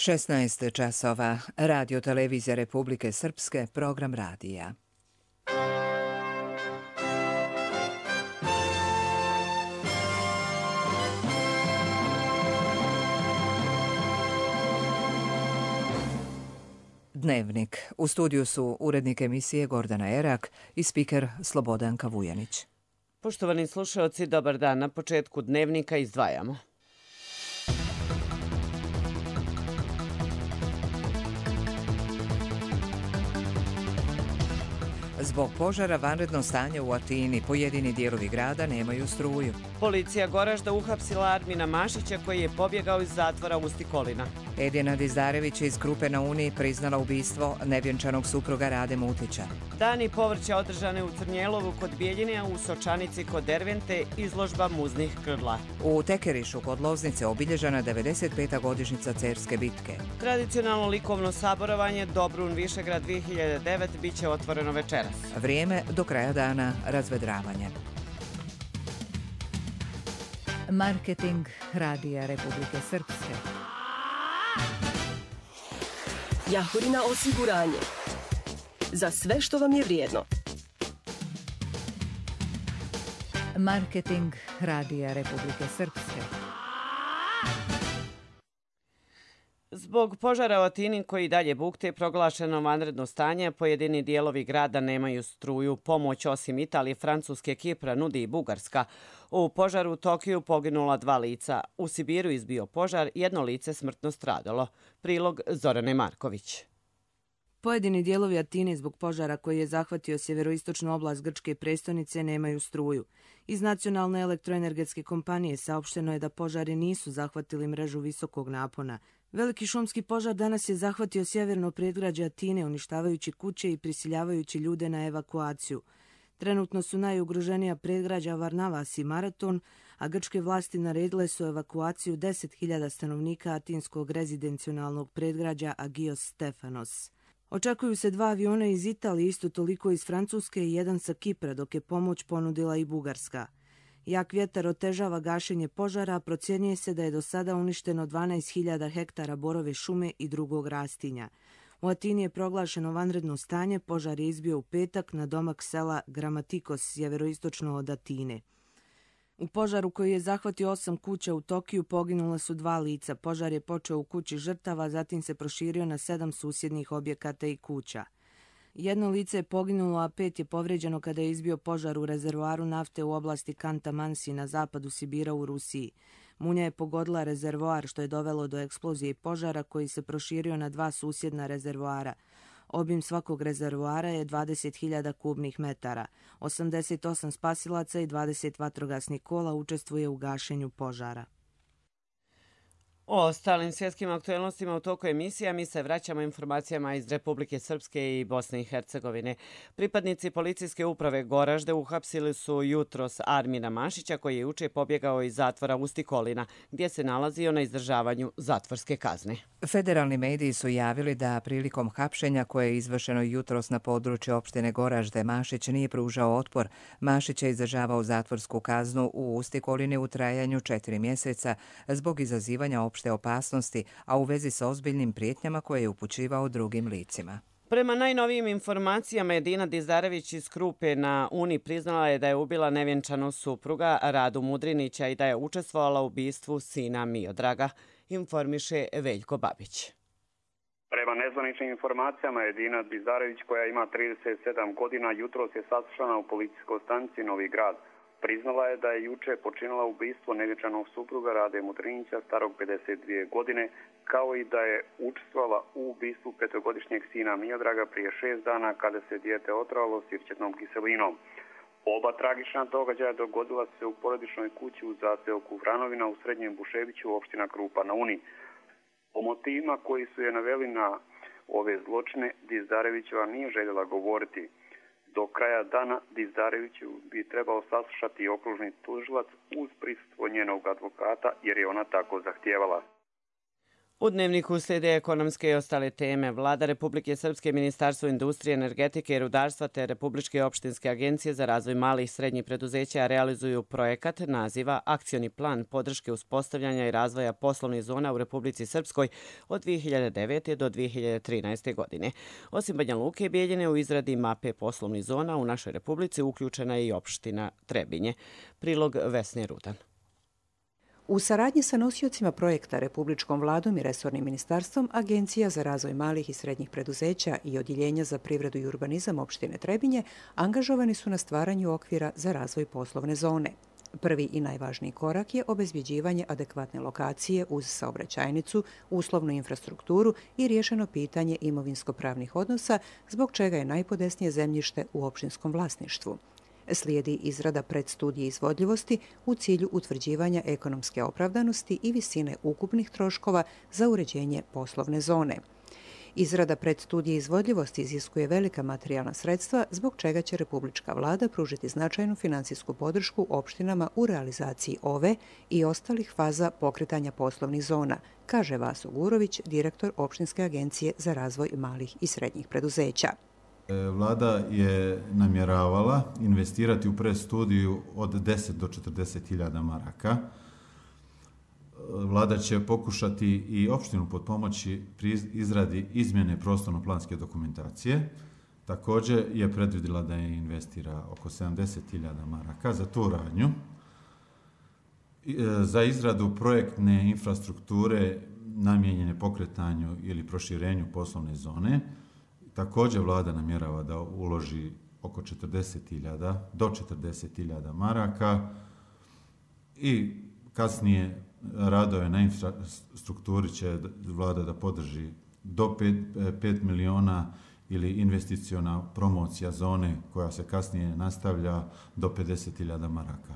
16 časova. Radio Televizija Republike Srpske, program radija. Dnevnik. U studiju su urednik emisije Gordana Erak i spiker Slobodanka Vujanić. Poštovani slušaoci, dobar dan. Na početku Dnevnika izdvajamo. Zbog požara vanredno stanje u Atini, pojedini dijelovi grada nemaju struju. Policija Goražda uhapsila Armina Mašića koji je pobjegao iz zatvora u Stikolina. Edina Dizdarević iz Krupe na Uni priznala ubistvo nevjenčanog supruga Rade Mutića. Dani povrća održane u Crnjelovu kod Bijeljine, a u Sočanici kod Dervente izložba muznih grla. U Tekerišu kod Loznice obilježena 95. godišnjica Cerske bitke. Tradicionalno likovno saborovanje Dobrun Višegrad 2009 bit će otvoreno večeras. Vrijeme do kraja dana razvedravanje. Marketing Radija Republike Srpske. Jahorina osiguranje. Za sve što vam je vrijedno. Marketing Radija Republike Srpske. Zbog požara u Atini koji dalje bukte proglašeno vanredno stanje, pojedini dijelovi grada nemaju struju. Pomoć osim Italije, Francuske, Kipra nudi i Bugarska. U požaru u Tokiju poginula 2 lica. U Sibiru izbio požar, 1 lice smrtno stradalo. Prilog Zorane Marković. Pojedini dijelovi Atine zbog požara koji je zahvatio sjeveroistočnu oblast grčke prestonice nemaju struju. Iz Nacionalne elektroenergetske kompanije saopšteno je da požari nisu zahvatili mrežu visokog napona. Veliki šumski požar danas je zahvatio sjeverno predgrađe Atine, uništavajući kuće i prisiljavajući ljude na evakuaciju. Trenutno su najugroženija predgrađa Varnavas i Maraton, a grčke vlasti naredile su evakuaciju 10.000 stanovnika atinskog rezidencionalnog predgrađa Agios Stefanos. Očekuju se 2 aviona iz Italije, isto toliko iz Francuske i 1 sa Kipra, dok je pomoć ponudila i Bugarska. Jak vjetar otežava gašenje požara, a procjenjuje se da je do sada uništeno 12.000 hektara borove šume i drugog rastinja. U Atini je proglašeno vanredno stanje, požar je izbio u petak na domak sela Gramatikos, sjeveroistočno od Atine. U požaru koji je zahvatio 8 kuća u Tokiju poginula su 2 lica. Požar je počeo u kući žrtava, zatim se proširio na 7 susjednih objekata i kuća. 1 lice je poginulo, a 5 je povređeno kada je izbio požar u rezervoaru nafte u oblasti Kanta-Mansi na zapadu Sibira u Rusiji. Munja je pogodila rezervoar, što je dovelo do eksplozije požara koji se proširio na 2 susjedna rezervoara. Obim svakog rezervoara je 20.000 kubnih metara. 88 spasilaca i 20 vatrogasnih kola učestvuje u gašenju požara. O ostalim svjetskim aktualnostima u toku emisija mi se vraćamo informacijama iz Republike Srpske i Bosne i Hercegovine. Pripadnici policijske uprave Goražde uhapsili su jutros Armina Mašića koji je juče pobjegao iz zatvora u Stikolina, gdje se nalazio na izdržavanju zatvorske kazne. Federalni mediji su javili da prilikom hapšenja koje je izvršeno jutros na području opštine Goražde, Mašić nije pružao otpor. Mašić je izdržavao zatvorsku kaznu u Stikolini u trajanju 4 mjeseca zbog izazivanja opšte opasnosti, a u vezi sa ozbiljnim prijetnjama koje je upućivao drugim licima. Prema najnovijim informacijama, Edina Dizdarević iz Krupe na Uni priznala je da je ubila nevjenčanog supruga Radu Mudrinića i da je učestvovala u ubistvu sina Miodraga, informiše Veljko Babić. Prema nezvaničnim informacijama, Edina Dizdarević, koja ima 37 godina, jutros je saslušana u policijskoj stanici Novi Grad. Priznala je da je juče počinila ubistvo nevjenčanog supruga Rade Mudrinića starog 52 godine, kao i da je učestvovala u ubistvu 5-godišnjeg sina Miodraga prije 6 dana kada se dijete otrovalo sirćetnom kiselinom. Oba tragična događaja dogodila se u porodičnoj kući u zaseoku Vranovina u Srednjem Buševiću, opština Krupa na Uni. O motivima koji su je naveli na ove zločine Dizdarevićeva nije željela govoriti. Do kraja dana Dizdareviću bi trebao saslušati okružni tužilac uz prisustvo njenog advokata jer je ona tako zahtijevala. U dnevniku slijede ekonomske i ostale teme. Vlada Republike Srpske, Ministarstvo industrije, energetike i rudarstva te Republičke opštinske agencije za razvoj malih i srednjih preduzeća realizuju projekat naziva Akcioni plan podrške uspostavljanja i razvoja poslovnih zona u Republici Srpskoj od 2009. do 2013. godine. Osim Banja Luke i Bijeljine, u izradi mape poslovnih zona u našoj Republici uključena je i opština Trebinje. Prilog Vesne Rudan. U saradnji sa nosiocima projekta, Republičkom vladom i resornim ministarstvom, Agencija za razvoj malih i srednjih preduzeća i Odjeljenja za privredu i urbanizam opštine Trebinje angažovani su na stvaranju okvira za razvoj poslovne zone. Prvi i najvažniji korak je obezbjeđivanje adekvatne lokacije uz saobraćajnicu, uslovnu infrastrukturu i riješeno pitanje imovinsko-pravnih odnosa, zbog čega je najpodesnije zemljište u opštinskom vlasništvu. Slijedi izrada predstudije izvodljivosti u cilju utvrđivanja ekonomske opravdanosti i visine ukupnih troškova za uređenje poslovne zone. Izrada predstudije izvodljivosti iziskuje velika materijalna sredstva, zbog čega će Republička vlada pružiti značajnu finansijsku podršku opštinama u realizaciji ove i ostalih faza pokretanja poslovnih zona, kaže Vaso Gurović, direktor Opštinske agencije za razvoj malih i srednjih preduzeća. Vlada je namjeravala investirati u predstudiju od 10 do 40.000 maraka. Vlada će pokušati i opštinu potpomoći pri izradi izmjene prostorno-planske dokumentacije. Također je predvidjela da je investira oko 70.000 maraka za tu radnju. Za izradu projektne infrastrukture namijenjene pokretanju ili proširenju poslovne zone, također vlada namjerava da uloži oko 40.000 do 40.000 maraka i kasnije radove na infrastrukturi će vlada da podrži do 5 miliona ili investiciona promocija zone koja se kasnije nastavlja do 50.000 maraka.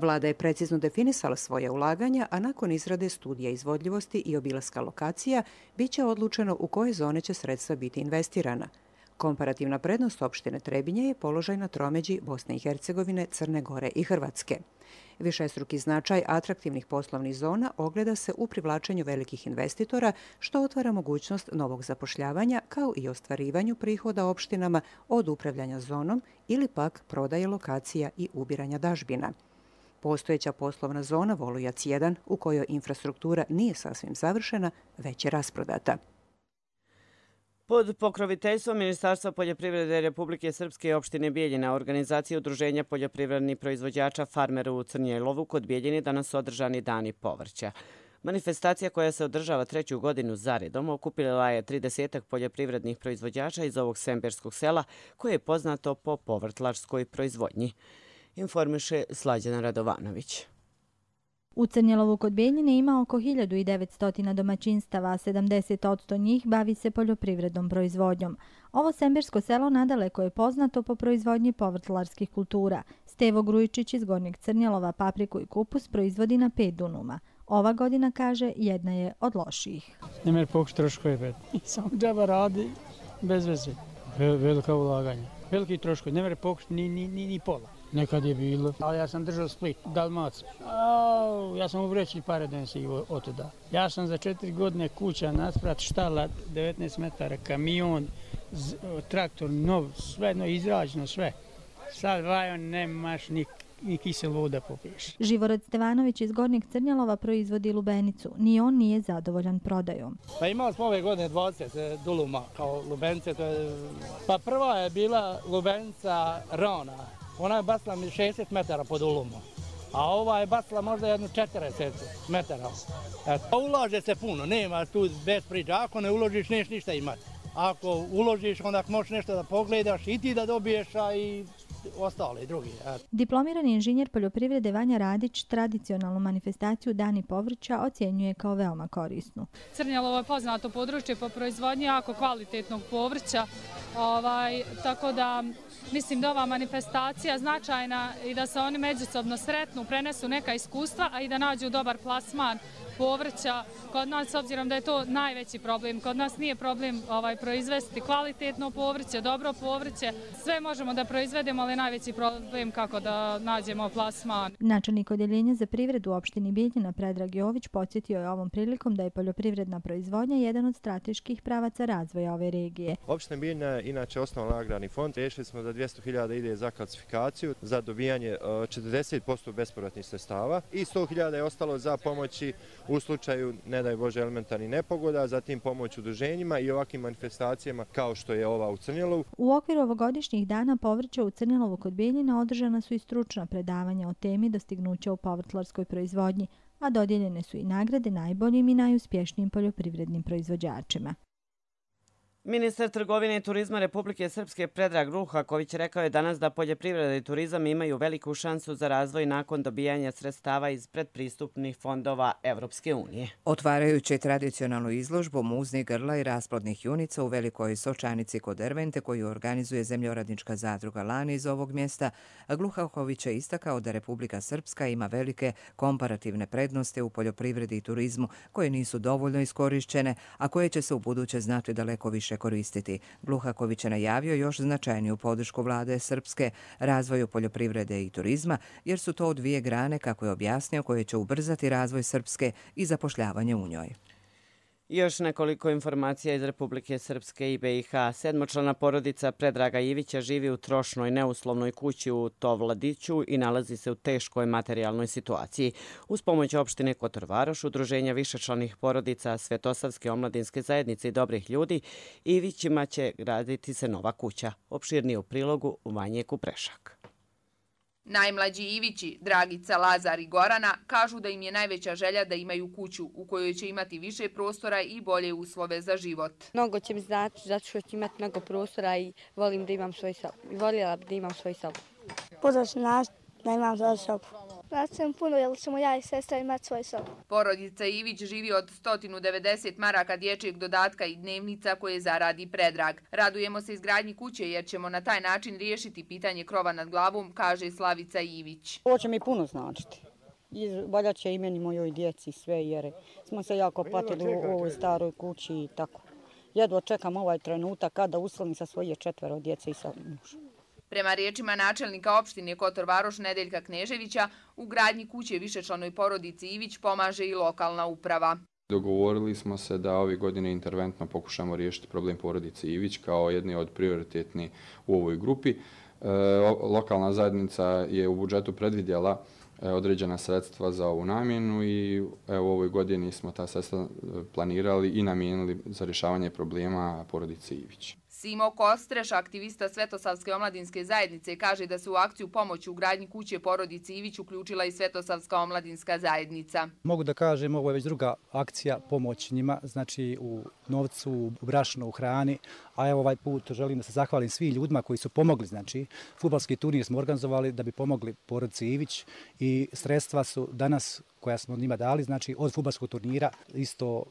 Vlada je precizno definisala svoje ulaganja, a nakon izrade studija izvodljivosti i obilaska lokacija biće odlučeno u koje zone će sredstva biti investirana. Komparativna prednost opštine Trebinje je položaj na tromeđi Bosne i Hercegovine, Crne Gore i Hrvatske. Višestruki značaj atraktivnih poslovnih zona ogleda se u privlačenju velikih investitora, što otvara mogućnost novog zapošljavanja, kao i ostvarivanju prihoda opštinama od upravljanja zonom ili pak prodaje lokacija i ubiranja dažbina. Postojeća poslovna zona Volujac 1, u kojoj infrastruktura nije sasvim završena, već je rasprodata. Pod pokroviteljstvom Ministarstva poljoprivrede Republike Srpske i opštine Bijeljina, organizacija udruženja poljoprivrednih proizvođača farmera u Crnjelovu kod Bijeljine danas održani dani povrća. Manifestacija koja se održava 3. godinu zaredom okupila je 30 poljoprivrednih proizvođača iz ovog semberskog sela koje je poznato po povrtlarskoj proizvodnji. Informiše Slađana Radovanović. U Crnjelovu kod Bijeljine ima oko 1900 domaćinstava, a 70% njih bavi se poljoprivrednom proizvodnjom. Ovo sembersko selo nadaleko je poznato po proizvodnji povrtlarskih kultura. Stevo Grujičić iz Gornjeg Crnjelova papriku i kupus proizvodi na 5 dunuma. Ova godina, kaže, jedna je od lošijih. Ne mer pokuš troškove, bet. Samo džaba radi bez veze. Velika ulaganja. Veliki troškovi, ne mer pokuš ni pola. Nekad je bilo, ali ja sam držao Split, Dalmaciju. Ja sam u vreći pare donesi od tada. Ja sam za 4 godine kuća, nasprat, štala, 19 metara, kamion, traktor, nov, sve izrađeno, sve. Sad vajon nemaš ni kisel voda popiješ. Živorad Stevanović iz Gornjeg Crnjelova proizvodi lubenicu. Ni on nije zadovoljan prodajom. Pa imali smo ove godine 20 duluma kao lubenice. Pa prva je bila lubenica Rona. Ona je basla 60 metara pod ulumom, a ova je basla možda jedno 40 metara. Ulaže se puno, nema tu bez priča. Ako ne uložiš, neš ništa imati. Ako uložiš, onda možeš nešto da pogledaš i ti da dobiješ, a i ostali drugi. Diplomirani inženjer poljoprivrede Vanja Radić tradicionalnu manifestaciju Dani povrća ocjenjuje kao veoma korisnu. Crnjelovo je poznato područje po proizvodnji jako kvalitetnog povrća, tako da mislim da ova manifestacija značajna i da se oni međusobno sretnu, prenesu neka iskustva, a i da nađu dobar plasman povrća. Kod nas, s obzirom da je to najveći problem, kod nas nije problem proizvesti kvalitetno povrće, dobro povrće. Sve možemo da proizvedemo, ali najveći problem kako da nađemo plasman. Načelnik Odjeljenja za privredu u opštini Bijeljina Predrag Jović podsjetio je ovom prilikom da je poljoprivredna proizvodnja jedan od strateških pravaca razvoja ove regije. Opština Bijeljina je inače osnovan agrarni fond. Riješili smo da 200.000 ide za klasifikaciju, za dobijanje 40% bespovratnih sredstava i 100.000 je ostalo za pomoći u slučaju, ne daj Bože, elementarnih nepogoda, zatim pomoć udruženjima i ovakvim manifestacijama kao što je ova u Crnjelovu. U okviru ovogodišnjih dana povrća u Crnjelovu kod Bijeljina održana su i stručna predavanja o temi dostignuća u povrtlarskoj proizvodnji, a dodijeljene su i nagrade najboljim i najuspješnijim poljoprivrednim proizvođačima. Ministar trgovine i turizma Republike Srpske Predrag Ruhaković rekao je danas da poljoprivreda i turizam imaju veliku šansu za razvoj nakon dobijanja sredstava iz predpristupnih fondova Evropske unije. Otvarajući tradicionalnu izložbu muznih grla i rasplodnih junica u Velikoj Sočanici kod Ervente koju organizuje Zemljoradnička zadruga Lani iz ovog mjesta, Ruhaković je istakao da Republika Srpska ima velike komparativne prednosti u poljoprivredi i turizmu koje nisu dovoljno iskorišćene, a koje će se u buduće znati daleko više koristiti. Gluhaković je najavio još značajniju podršku vlade Srpske razvoju poljoprivrede i turizma, jer su to dvije grane, kako je objasnio, koje će ubrzati razvoj Srpske i zapošljavanje u njoj. Još nekoliko informacija iz Republike Srpske i BiH. 7-člana porodica Predraga Ivića živi u trošnoj neuslovnoj kući u Tovladiću i nalazi se u teškoj materijalnoj situaciji. Uz pomoć opštine Kotor Varoš, udruženja višečlanih porodica Svetosavske omladinske zajednice i dobrih ljudi, Ivićima će graditi se nova kuća. Opširnije u prilogu u Vanje Kuprešak. Najmlađi Ivići, Dragica, Lazar i Gorana, kažu da im je najveća želja da imaju kuću u kojoj će imati više prostora i bolje uslove za život. Mnogo će mi znači zato što ću imati mnogo prostora i volim da imam svoj sobu. Voljela bi da imam svoj sobu. Puno sam da imam svoj sobu. Znači sam puno jer ćemo ja i sestra imati svoj sobu. Porodica Ivić živi od 190 maraka dječjeg dodatka i dnevnica koje zaradi Predrag. Radujemo se izgradnji kuće jer ćemo na taj način riješiti pitanje krova nad glavom, kaže Slavica Ivić. Ovo će mi puno značiti. Valja će i meni, mojoj djeci, sve, jer smo se jako patili u ovoj staroj kući i tako. Jedva čekam ovaj trenutak kada uselim sa svoje 4 djece i sa mužem. Prema riječima načelnika opštine Kotor Varoš Nedeljka Kneževića, u gradnji kuće višečlanoj porodici Ivić pomaže i lokalna uprava. Dogovorili smo se da ove godine interventno pokušamo riješiti problem porodice Ivić kao jedni od prioritetni u ovoj grupi. Lokalna zajednica je u budžetu predvidjela određena sredstva za ovu namjenu i u ovoj godini smo ta sredstva planirali i namijenili za rješavanje problema porodice Ivić. Simo Kostreš, aktivista Svetosavske omladinske zajednice, kaže da se u akciju pomoći u gradnji kuće porodici Ivić uključila i Svetosavska omladinska zajednica. Mogu da kažem, ovo je već druga akcija pomoć njima, znači u novcu, u brašnu, u hrani, a evo ovaj put želim da se zahvalim svim ljudima koji su pomogli, znači fudbalski turnir smo organizovali da bi pomogli porodici Ivić i sredstva su danas koja smo njima dali, znači od fudbalskog turnira, isto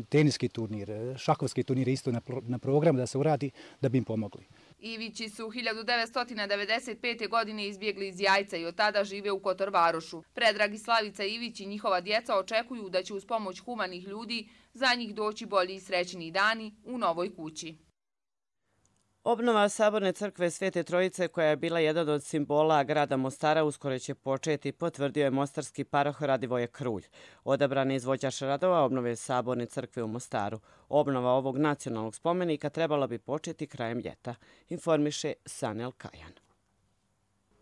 teniski turnir, šahovski turnir isto na programu da se uradi da bi im pomogli. Ivići su 1995. godine izbjegli iz Jajca i od tada žive u Kotor Varošu. Predrag i Slavica Ivić i njihova djeca očekuju da će uz pomoć humanih ljudi za njih doći bolji i srećni dani u novoj kući. Obnova Saborne crkve Svete Trojice, koja je bila jedan od simbola grada Mostara, uskoro će početi, potvrdio je mostarski paroh Radivoje Krulj. Odabran je izvođač radova obnove Saborne crkve u Mostaru. Obnova ovog nacionalnog spomenika trebala bi početi krajem ljeta, informiše Sanel Kajan.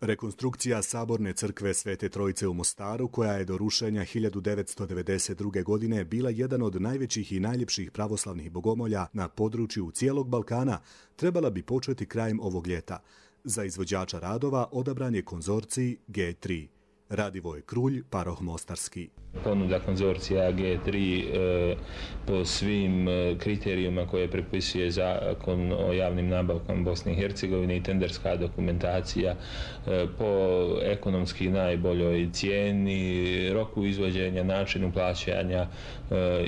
Rekonstrukcija Saborne crkve Svete Trojice u Mostaru, koja je do rušenja 1992. godine bila jedan od najvećih i najljepših pravoslavnih bogomolja na području cijelog Balkana, trebala bi početi krajem ovog ljeta. Za izvođača radova odabran je konzorcij G3. Radivoje Krulj, paroh Mostarski. Ponuda konzorcija G3 po svim kriterijima koje prepisuje zakon o javnim nabavkama Bosne i Hercegovine i tenderska dokumentacija po ekonomski najboljoj cijeni, roku izvođenja, načinu plaćanja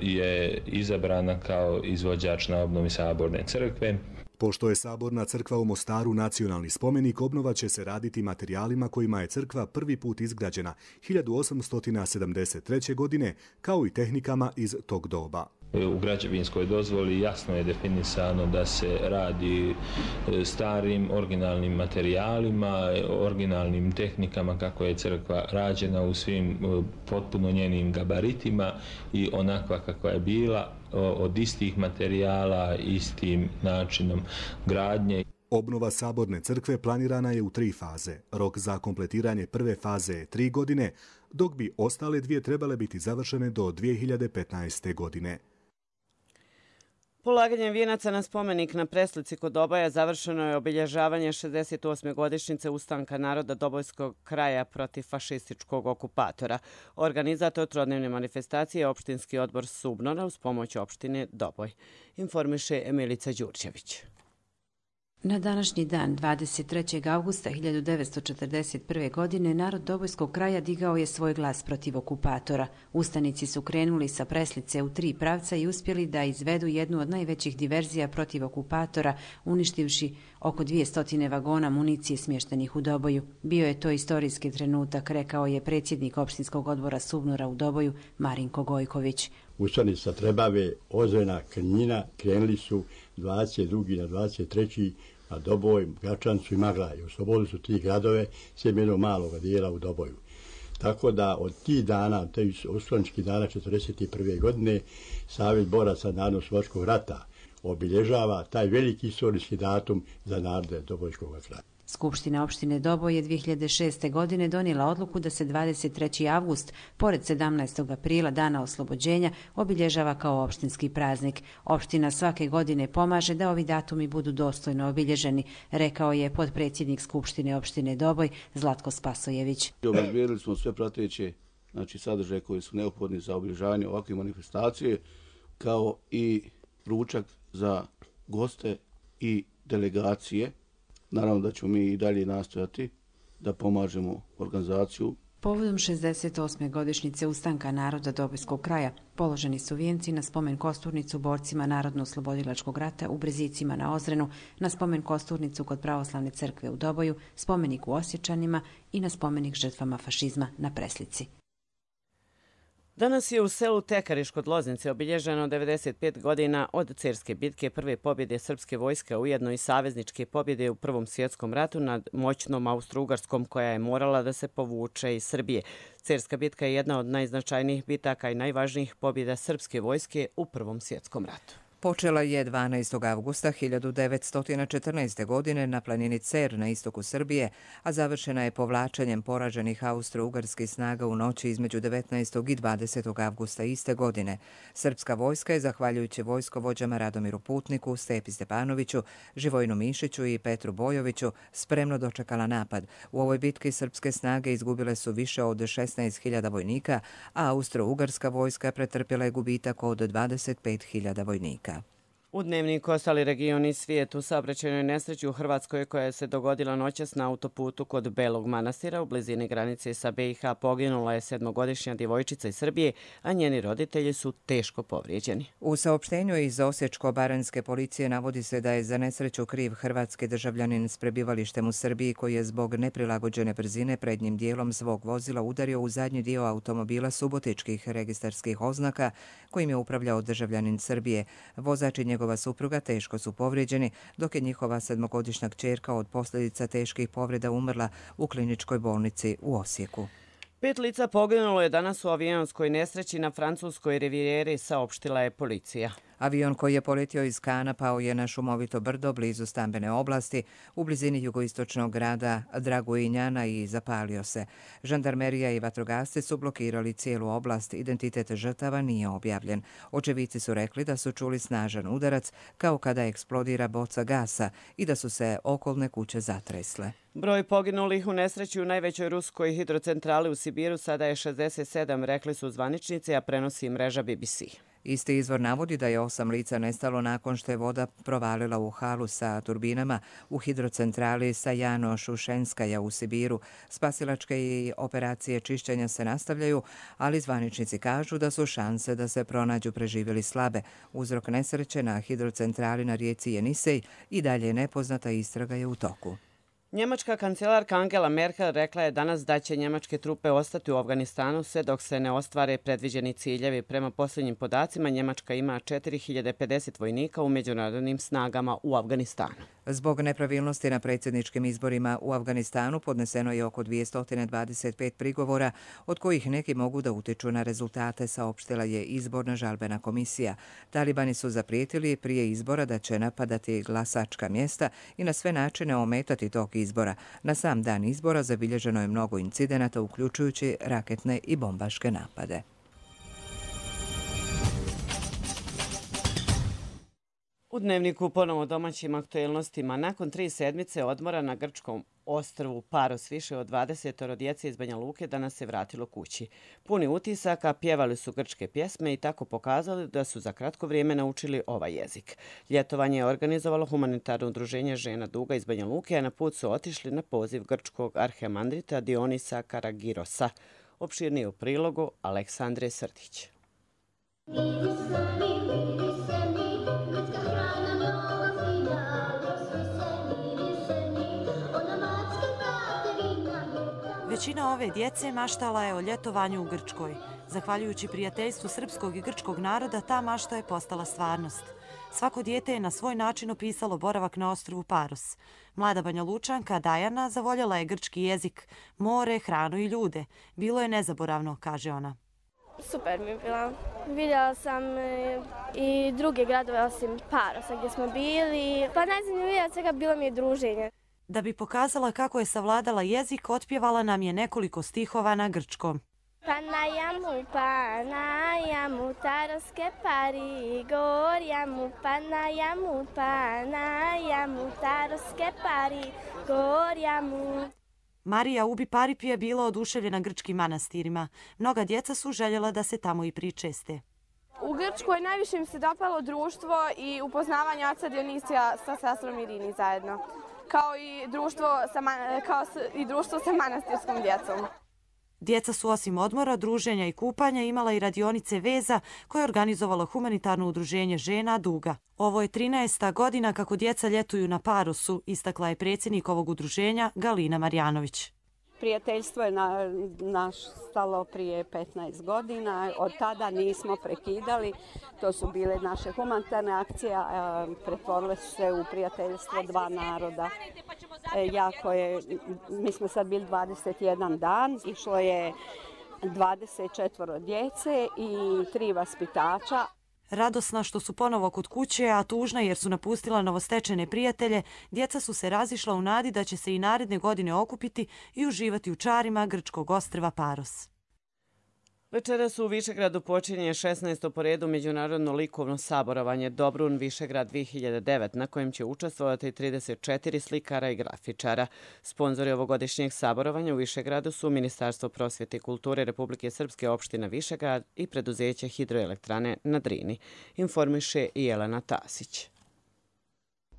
je izabrana kao izvođač na obnovi Saborne crkve. Pošto je Saborna crkva u Mostaru nacionalni spomenik, obnova će se raditi materijalima kojima je crkva prvi put izgrađena 1873. godine, kao i tehnikama iz tog doba. U građevinskoj dozvoli jasno je definisano da se radi starim, originalnim materijalima, originalnim tehnikama kako je crkva rađena u svim potpuno njenim gabaritima i onakva kakva je bila, od istih materijala, istim načinom gradnje. Obnova Saborne crkve planirana je u 3 faze. Rok za kompletiranje prve faze je 3 godine, dok bi ostale 2 trebale biti završene do 2015. godine. Polaganjem vijenaca na spomenik na Preslici kod Doboja završeno je obilježavanje 68. godišnjice ustanka naroda Dobojskog kraja protiv fašističkog okupatora. Organizator trodnevne manifestacije je opštinski odbor Subnora uz pomoć opštine Doboj. Informiše Emilica Đurđević. Na današnji dan, 23. augusta 1941. godine, narod Dobojskog kraja digao je svoj glas protiv okupatora. Ustanici su krenuli sa Preslice u 3 pravca i uspjeli da izvedu jednu od najvećih diverzija protiv okupatora, uništivši oko 200 vagona municije smještenih u Doboju. Bio je to istorijski trenutak, rekao je predsjednik opštinskog odbora Subnora u Doboju, Marinko Gojković. Ustanici sa Trebave, Ozrena, Krnjina krenuli su 22. na 23. na Doboj, Gačancu i Maglaj. Oslobodili su 3 gradove, sem jednog malog dijela u Doboju. Tako da od tih dana, tih ustaničkih dana 1941. godine, Savez boraca Narodnooslobodilačkog rata obilježava taj veliki istorijski datum za narode Dobojskog kraja. Skupština opštine Doboj je 2006. godine donijela odluku da se 23. avgust, pored 17. aprila, dana oslobođenja, obilježava kao opštinski praznik. Opština svake godine pomaže da ovi datumi budu dostojno obilježeni, rekao je potpredsjednik Skupštine opštine Doboj Zlatko Spasojević. Obezbijedili smo sve prateće sadržaje koji su neophodni za obilježavanje ovakve manifestacije, kao i ručak za goste i delegacije. Naravno da ćemo mi i dalje nastojati da pomažemo organizaciju. Povodom 68. godišnjice ustanka naroda Dobojskog kraja položeni su vijenci na spomen kosturnicu borcima Narodno-oslobodilačkog rata u Brzicima na Ozrenu, na spomen kosturnicu kod Pravoslavne crkve u Doboju, spomenik u Osječanima i na spomenik žrtvama fašizma na Preslici. Danas je u selu Tekariš kod Loznice obilježeno 95 godina od Cerske bitke, prve pobjede srpske vojske, ujedno i savezničke pobjede u Prvom svjetskom ratu nad moćnom Austro-Ugarskom koja je morala da se povuče iz Srbije. Cerska bitka je jedna od najznačajnijih bitaka i najvažnijih pobjeda srpske vojske u Prvom svjetskom ratu. Počela je 12. avgusta 1914. godine na planini Cer na istoku Srbije, a završena je povlačenjem poraženih austro-ugarskih snaga u noći između 19. i 20. avgusta iste godine. Srpska vojska je, zahvaljujući vojskovođama Radomiru Putniku, Stepi Stepanoviću, Živojnu Mišiću i Petru Bojoviću, spremno dočekala napad. U ovoj bitki srpske snage izgubile su više od 16.000 vojnika, a austro-ugarska vojska pretrpjela je gubitak od 25.000 vojnika. U Dnevniku ostali regioni svijetu, saobraćajnoj nesreći u Hrvatskoj koja se dogodila noćas na autoputu kod Belog Manastira u blizini granice sa BiH poginula je 7-godišnja djevojčica iz Srbije, a njeni roditelji su teško povrijeđeni. U saopštenju iz Osječko-baranjske policije navodi se da je za nesreću kriv hrvatski državljanin s prebivalištem u Srbiji koji je zbog neprilagođene brzine prednjim dijelom svog vozila udario u zadnji dio automobila subotičkih registarskih oznaka kojim je upravljao državljanin Srbije. Vozač i njegova supruga teško su povrijeđeni, dok je njihova 7-godišnja kćerka od posljedica teških povreda umrla u kliničkoj bolnici u Osijeku. 5 lica poginulo je danas u avionskoj nesreći na francuskoj rivijeri, saopštila je policija. Avion koji je poletio iz Kana pao je na šumovito brdo blizu stambene oblasti u blizini jugoistočnog grada Dragujinjana i zapalio se. Žandarmerija i vatrogasci su blokirali cijelu oblast, identitet žrtava nije objavljen. Očevici su rekli da su čuli snažan udarac kao kada eksplodira boca gasa i da su se okolne kuće zatresle. Broj poginulih u nesreći u najvećoj ruskoj hidrocentrali u Sibiru sada je 67, rekli su zvaničnici, a prenosi mreža BBC. Isti izvor navodi da je 8 lica nestalo nakon što je voda provalila u halu sa turbinama u hidrocentrali Sajano-Šušenskaja u Sibiru. Spasilačke i operacije čišćenja se nastavljaju, ali zvaničnici kažu da su šanse da se pronađu preživjeli slabe. Uzrok nesreće na hidrocentrali na rijeci Jenisej i dalje je nepoznata, istraga je u toku. Njemačka kancelarka Angela Merkel rekla je danas da će njemačke trupe ostati u Afganistanu sve dok se ne ostvare predviđeni ciljevi. Prema posljednjim podacima, Njemačka ima 4050 vojnika u međunarodnim snagama u Afganistanu. Zbog nepravilnosti na predsjedničkim izborima u Afganistanu podneseno je oko 225 prigovora, od kojih neki mogu da utiču na rezultate, saopštila je izborna žalbena komisija. Talibani su zaprijetili prije izbora da će napadati glasačka mjesta i na sve načine ometati tok izbora. Na sam dan izbora zabilježeno je mnogo incidenata, uključujući raketne i bombaške napade. U Dnevniku ponovo domaćim aktuelnostima. Nakon 3 sedmice odmora na grčkom ostrvu Paros više od 20 djece iz Banja Luke danas se vratilo kući. Puni utisaka, pjevali su grčke pjesme i tako pokazali da su za kratko vrijeme naučili ovaj jezik. Ljetovanje je organizovalo humanitarno udruženje žena Duga iz Banja Luke, a na put su otišli na poziv grčkog arhemandrita Dionisa Karagirosa. Opširnije u prilogu Aleksandre Srdić. Većina ove djece maštala je o ljetovanju u Grčkoj. Zahvaljujući prijateljstvu srpskog i grčkog naroda, ta mašta je postala stvarnost. Svako dijete je na svoj način opisalo boravak na ostrvu Paros. Mlada Banja Lučanka Dajana zavoljela je grčki jezik, more, hranu i ljude. Bilo je nezaboravno, kaže ona. Super mi je bila. Vidjela sam i druge gradove osim Parosa gdje smo bili. Pa najzanimljivije od svega bilo mi je druženje. Da bi pokazala kako je savladala jezik, otpjevala nam je nekoliko stihova na grčkom. Panajamu, taroske pari, gorjamu, panajamu, taroske pari, gorjamu. Marija Ubi Parip je bila oduševljena grčkim manastirima. Mnoga djeca su željela da se tamo i pričeste. U Grčkoj najviše mi se dopalo društvo i upoznavanje oca Dionisija sa sestrom Irini zajedno, kao i društvo sa manastirskom djecom. Djeca su osim odmora, druženja i kupanja imala i radionice veza koje je organizovalo humanitarno udruženje žena Duga. Ovo je 13. godina kako djeca ljetuju na Parosu, istakla je predsjednik ovog udruženja Galina Marjanović. Prijateljstvo je nastalo prije 15 godina, od tada nismo prekidali. To su bile naše humanitarne akcije, pretvorile su se u prijateljstvo dva naroda. Mi smo sad bili 21 dan, išlo je 24 djece i 3 vaspitača. Radosna što su ponovo kod kuće, a tužna jer su napustila novostečene prijatelje, djeca su se razišla u nadi da će se i naredne godine okupiti i uživati u čarima grčkog ostrva Paros. Večeras u Višegradu počinje 16. po redu međunarodno likovno saborovanje Dobrun Višegrad 2009, na kojem će učestvovati 34 slikara i grafičara. Sponzori ovogodišnjeg saborovanja u Višegradu su Ministarstvo prosvjete i kulture Republike Srpske, opština Višegrad i preduzeće Hidroelektrane na Drini, informiše i Jelena Tasić.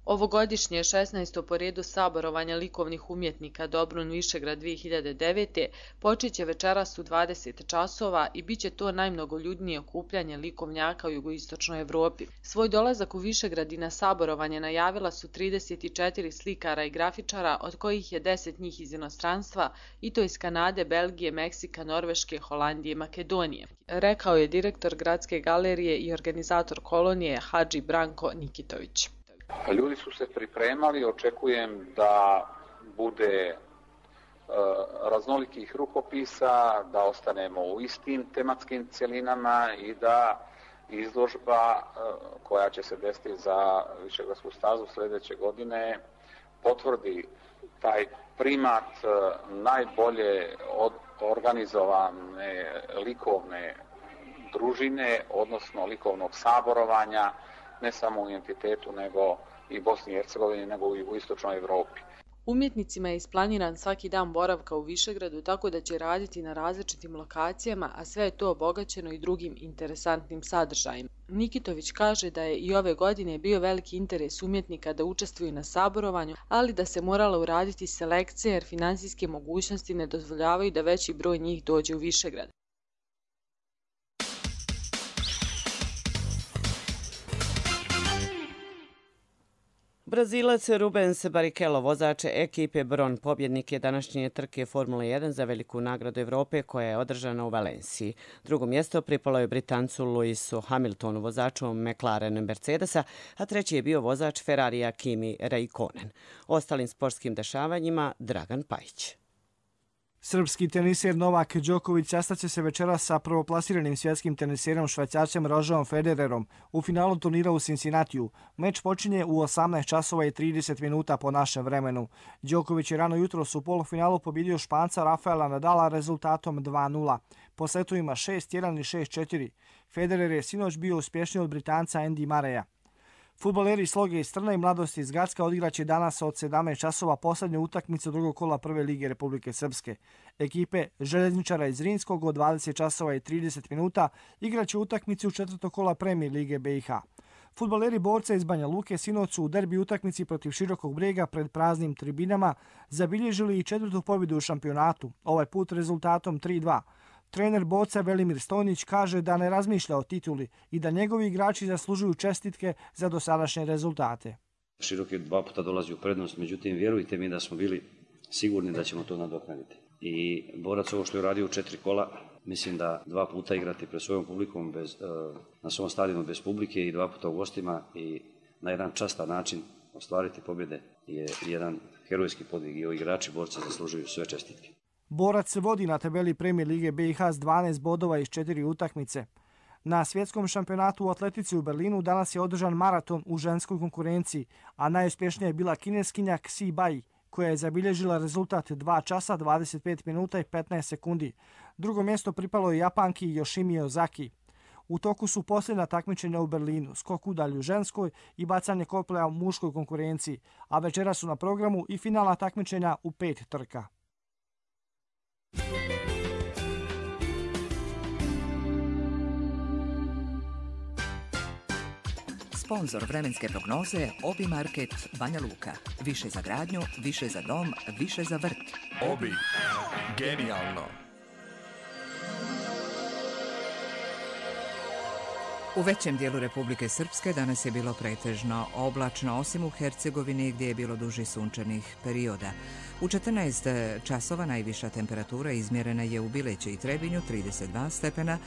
Ovogodišnje 16. po redu saborovanja likovnih umjetnika Dobrun Višegrad 2009. počeće večeras u 20 časova i bit će to najmnogoljudnije okupljanje likovnjaka u jugoistočnoj Evropi. Svoj dolazak u Višegrad i na saborovanje najavila su 34 slikara i grafičara, od kojih je 10 njih iz inostranstva, i to iz Kanade, Belgije, Meksika, Norveške, Holandije i Makedonije. Rekao je direktor Gradske galerije i organizator kolonije Hadži Branko Nikitović. Ljudi su se pripremali, očekujem da bude raznolikih rukopisa, da ostanemo u istim tematskim cjelinama i da izložba koja će se desiti za Višegradsku stazu sljedeće godine potvrdi taj primat najbolje organizovane likovne družine, odnosno likovnog saborovanja, ne samo u entitetu, nego i Bosni i Hercegovini, nego i u istočnoj Evropi. Umjetnicima je isplaniran svaki dan boravka u Višegradu, tako da će raditi na različitim lokacijama, a sve je to obogaćeno i drugim interesantnim sadržajima. Nikitović kaže da je i ove godine bio veliki interes umjetnika da učestvuju na saborovanju, ali da se morala uraditi selekcija jer finansijske mogućnosti ne dozvoljavaju da veći broj njih dođe u Višegrad. Brazilac Rubens Barrichello, vozač ekipe Bron, pobjednik je današnje trke Formule 1 za veliku nagradu Evrope koja je održana u Valenciji. Drugo mjesto pripalo je Britancu Lewisu Hamiltonu, vozaču McLaren Mercedesa, a treći je bio vozač Ferrarija Kimi Räikkönen. Ostalim sportskim dešavanjima Dragan Pajić. Srpski teniser Novak Đoković sastaće se večeras sa prvoplasiranim svjetskim teniserom Švajcarcem Rogerom Federerom u finalu turnira u Cincinnatiju. Meč počinje u 18 časova i 30 minuta po našem vremenu. Đoković je rano jutros u polufinalu pobjedio Španca Rafaela Nadala rezultatom 2:0. Po setovima 6:1 i 6:4. Federer je sinoć bio uspješniji od Britanca Andy Murraya. Fudbaleri Sloge iz Trna i Mladosti iz Gacka odigraće danas od 17 časova posljednju utakmicu drugog kola Prve lige Republike Srpske. Ekipe Željezničara iz Zrinskog od 20 časova i 30 minuta igraće utakmicu četvrtog kola Premijer lige BiH. Fudbaleri Borca iz Banja Luke sinoć su u derbi utakmici protiv Širokog Brijega pred praznim tribinama zabilježili i četvrtu pobjedu u šampionatu, ovaj put rezultatom 3:2. Trener Borca Velimir Stojnić kaže da ne razmišlja o tituli i da njegovi igrači zaslužuju čestitke za dosadašnje rezultate. Široki 2 puta dolazi u prednost, međutim vjerujte mi da smo bili sigurni da ćemo to nadoknaditi. I Borac ovo što je uradio u 4 kola, mislim da 2 puta igrati pred svojom publikom na svom stadionu bez publike i 2 puta u gostima i na jedan častan način ostvariti pobjede je jedan herojski podvig i ovi igrači Borca zaslužuju sve čestitke. Borac se vodi na tabeli Premijer lige BiH s 12 bodova iz 4 utakmice. Na svjetskom šampionatu u atletici u Berlinu danas je održan maraton u ženskoj konkurenciji, a najuspješnija je bila kineskinja Xi Bai, koja je zabilježila rezultat 2 časa, 25 minuta i 15 sekundi. Drugo mjesto pripalo je Japanki Yoshimi Ozaki. U toku su posljedna takmičenja u Berlinu, skok udalju ženskoj i bacanje koplja u muškoj konkurenciji, a večera su na programu i finalna takmičenja u 5 trka. Sponzor vremenske prognoze Obi Market Banja Luka. Više za gradnju, više za dom, više za vrt. Obi. Genijalno. U većem dijelu Republike Srpske danas je bilo pretežno oblačno, osim u Hercegovini gdje je bilo duži sunčanih perioda. U 14 časova najviša temperatura izmjerena je u Bileći i Trebinju 32 stepena,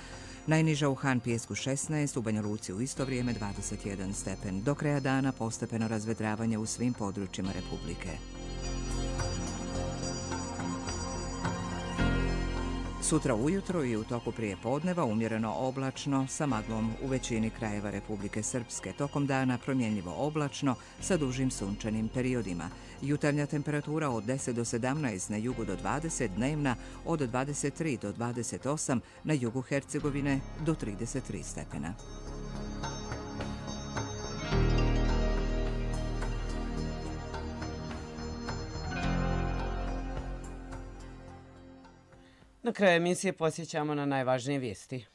najniža u Han Pijesku 16, u Banja Luci u isto vrijeme 21 stepen. Do kraja dana postepeno razvedravanje u svim područjima Republike. Sutra ujutro i u toku prije podneva umjereno oblačno sa maglom u većini krajeva Republike Srpske. Tokom dana promjenljivo oblačno sa dužim sunčanim periodima. Jutarnja temperatura od 10 do 17, na jugu do 20, dnevna od 23 do 28, na jugu Hercegovine do 33 stepena. Na kraju emisije posjećamo na najvažnije vijesti.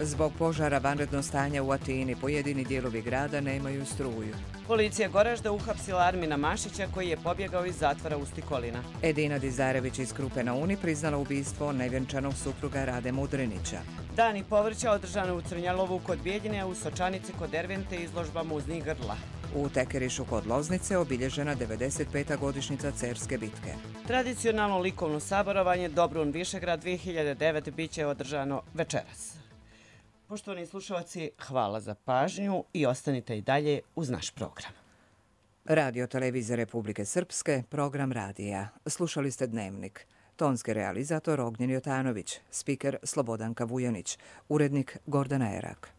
Zbog požara vanredno stanja u Atini, pojedini dijelovi grada nemaju struju. Policija Goražda uhapsila Armina Mašića koji je pobjegao iz zatvora Ustikolina. Edina Dizarević iz Krupe na Uni priznala ubistvo nevjenčanog supruga Rade Mudrinića. Dani povrća održano u Crnjalovu kod Bijeljine, a u Sočanici kod Dervente izložba muznih grla. U Tekerišu kod Loznice obilježena 95. godišnjica Cerske bitke. Tradicionalno likovno saborovanje Dobrun Višegrad 2009 biće održano večeras. Poštovani slušalci, hvala za pažnju i ostanite i dalje uz naš program. Radio Televizije Republike Srpske, program radija. Slušali ste Dnevnik. Tonski realizator Ognjen Jotanović, spiker Slobodanka Vujanić, urednik Gordana Erak.